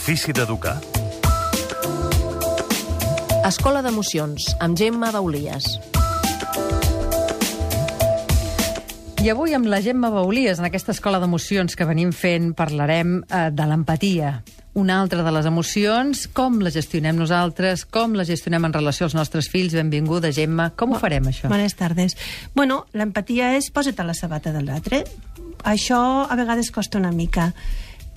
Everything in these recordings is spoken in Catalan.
L'ofici d'educar. Escola d'Emocions, amb Gemma Baulies. I avui amb la Gemma Baulies, en aquesta escola d'emocions que venim fent, parlarem de l'empatia. Una altra de les emocions, com la gestionem nosaltres, com la gestionem en relació als nostres fills. Benvinguda, Gemma. Com ho farem, això? Bones tardes. Bueno, l'empatia és posa't a la sabata de l'altre. Això a vegades costa una mica,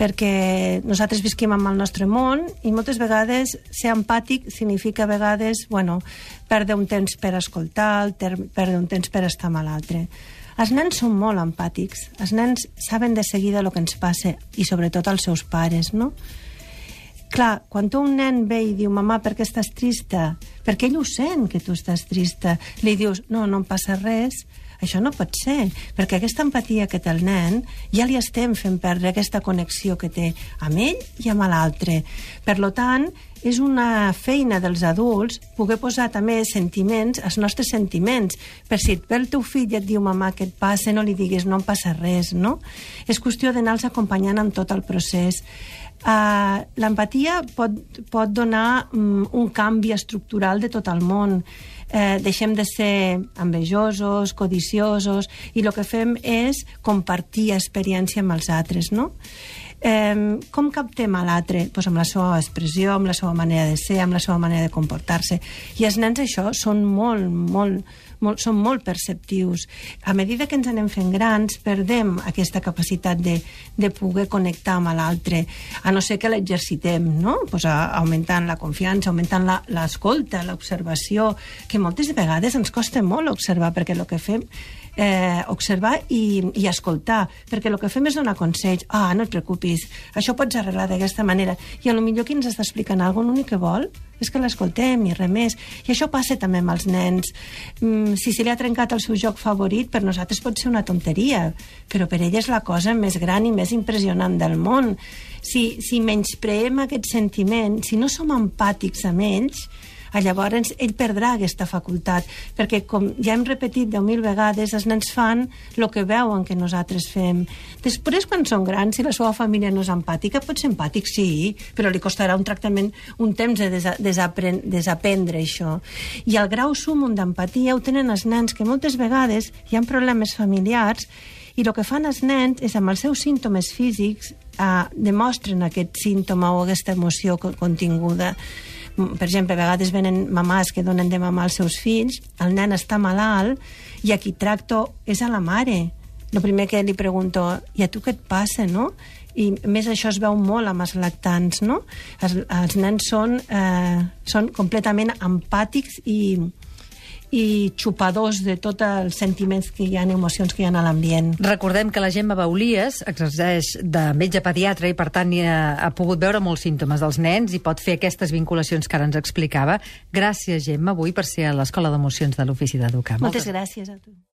perquè nosaltres visquim amb el nostre món i moltes vegades ser empàtic significa a vegades, perdre un temps per escoltar, perdre un temps per estar amb l'altre. Els nens són molt empàtics, els nens saben de seguida el que ens passa i sobretot els seus pares, no? Clar, quan un nen ve i diu «Mamà, per què estàs trista?» Perquè ell ho sent, que tu estàs trista. Li dius «No, no em passa res». Això no pot ser, perquè aquesta empatia que té el nen ja li estem fent perdre aquesta connexió que té amb ell i amb l'altre. Per tant, és una feina dels adults poder posar també sentiments, els nostres sentiments. Per si et ve el teu fill i et diu «Mamà, què et passa?» No li diguis «No em passa res», no? És qüestió d'anar-los acompanyant en tot el procés. L'empatia pot donar un canvi estructural de tot el món. Deixem de ser envejosos, codiciosos, i el que fem és compartir experiència amb els altres, no? Com captem a l'altre? Pues amb la seva expressió, amb la seva manera de ser, amb la seva manera de comportar-se. I els nens això són són molt perceptius. A mesura que ens anem fent grans, perdem aquesta capacitat de poder connectar amb l'altre, a no ser que l'exercitem, no? Pues augmentant la confiança, augmentant l'escolta, l'observació, que moltes vegades ens costa molt observar, perquè el que fem observar i escoltar, perquè el que fem és donar consells. No et preocupis, això pots arreglar d'aquesta manera, i potser qui ens està explicant alguna cosa, l'únic que vol és que l'escoltem i res més. I això passa també amb els nens. Si se li ha trencat el seu joc favorit, per nosaltres pot ser una tonteria, però per ell és la cosa més gran i més impressionant del món. Si menyspreem aquest sentiment, si no som empàtics amb ells, llavors ell perdrà aquesta facultat, perquè com ja hem repetit 10.000 vegades, els nens fan el que veuen que nosaltres fem. Després, quan són grans, si la seva família no és empàtica, pot ser empàtic, sí, però li costarà un tractament, un temps de desaprendre això. I el grau súmum d'empatia ho tenen els nens, que moltes vegades hi ha problemes familiars, i el que fan els nens és, amb els seus símptomes físics, demostren aquest símptoma o aquesta emoció continguda. Per exemple, a vegades venen mamàs que donen de mamar als seus fills, el nen està malalt i a qui tracto és a la mare. El primer que li pregunto, i a tu què et passa, no? I més això es veu molt amb els lactants, no? Els nens són completament empàtics i xupadors de tots els sentiments que hi ha, emocions que hi ha a l'ambient. Recordem que la Gemma Baulies exerceix de metge pediatre i, per tant, ha pogut veure molts símptomes dels nens i pot fer aquestes vinculacions que ara ens explicava. Gràcies, Gemma, avui per ser a l'Escola d'Emocions de l'Ofici d'Educar. Moltes gràcies a tu.